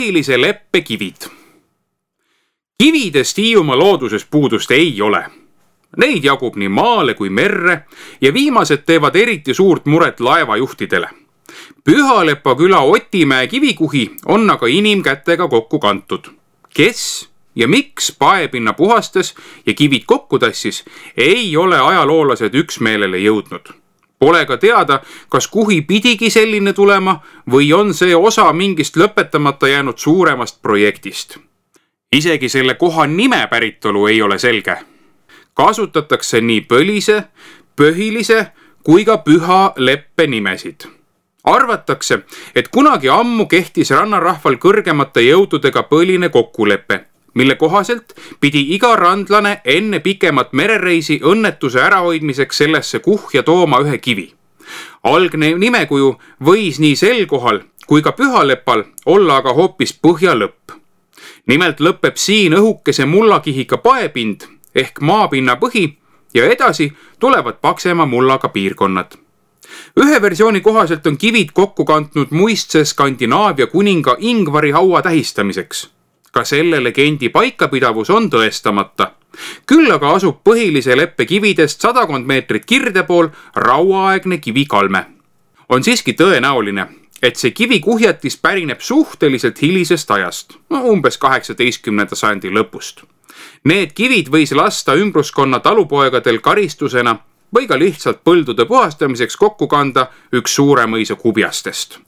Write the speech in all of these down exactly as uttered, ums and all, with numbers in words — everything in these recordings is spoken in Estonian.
põhilise leppe kivid. Kividest Hiiumaa looduses puudust ei ole. Neid jagub nii maale kui merre ja viimased teevad eriti suurt muret laevajuhtidele. Pühalepa küla Otimäe kivikuhi on aga inimkätega kokku kantud. Kes ja miks paepinna puhastas ja kivid kokku tassis, ei ole ajaloolased üksmeelele jõudnud. Pole ka teada, kas kuhi pidigi selline tulema või on see osa mingist lõpetamata jäänud suuremast projektist. Isegi selle koha nime päritolu ei ole selge. Kasutatakse nii põlise, põhilise kui ka püha leppe nimesid. Arvatakse, et kunagi ammu kehtis rannarahval kõrgemate jõududega põline kokkulepe, mille kohaselt pidi iga randlane enne pikemat merereisi õnnetuse ärahoidmiseks sellesse kuhja tooma ühe kivi. Algne nimekuju võis nii sel kohal kui ka pühalepal olla aga hoopis põhja lõpp. Nimelt lõpeb siin õhukese mullakihiga paepind ehk maapinna põhi ja edasi tulevad paksema mullaga piirkonnad. Ühe versiooni kohaselt on kivid kokku kantnud muistse Skandinaavia kuninga Ingvari haua tähistamiseks. Ka selle legendi paikapidavus on tõestamata. Küll aga asub põhilise leppe kividest sadakond meetrit kirde pool rauaaegne kivikalme. On siiski tõenäoline, et see kivikuhjatis pärineb suhteliselt hilisest ajast, umbes kaheksateistkümnenda sajandi lõpust. Need kivid võis lasta ümbruskonna talupoegadel karistusena või ka lihtsalt põldude puhastamiseks kokku kanda üks suure mõisa kubjastest.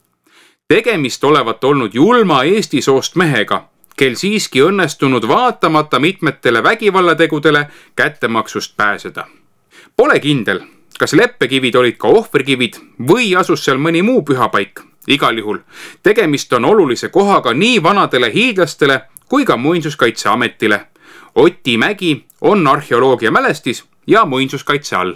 Tegemist olevat olnud julma Eesti soost mehega, kel siiski õnnestunud vaatamata mitmetele vägivallategudele kättemaksust pääseda. Pole kindel, kas leppekivid olid ka ohverkivid või asus seal mõni muu pühapaik. Igal juhul, tegemist on olulise kohaga nii vanadele hiidlastele kui ka muinsuskaitseametile. Otimägi on arheoloogia mälestis ja muinsuskaitse all.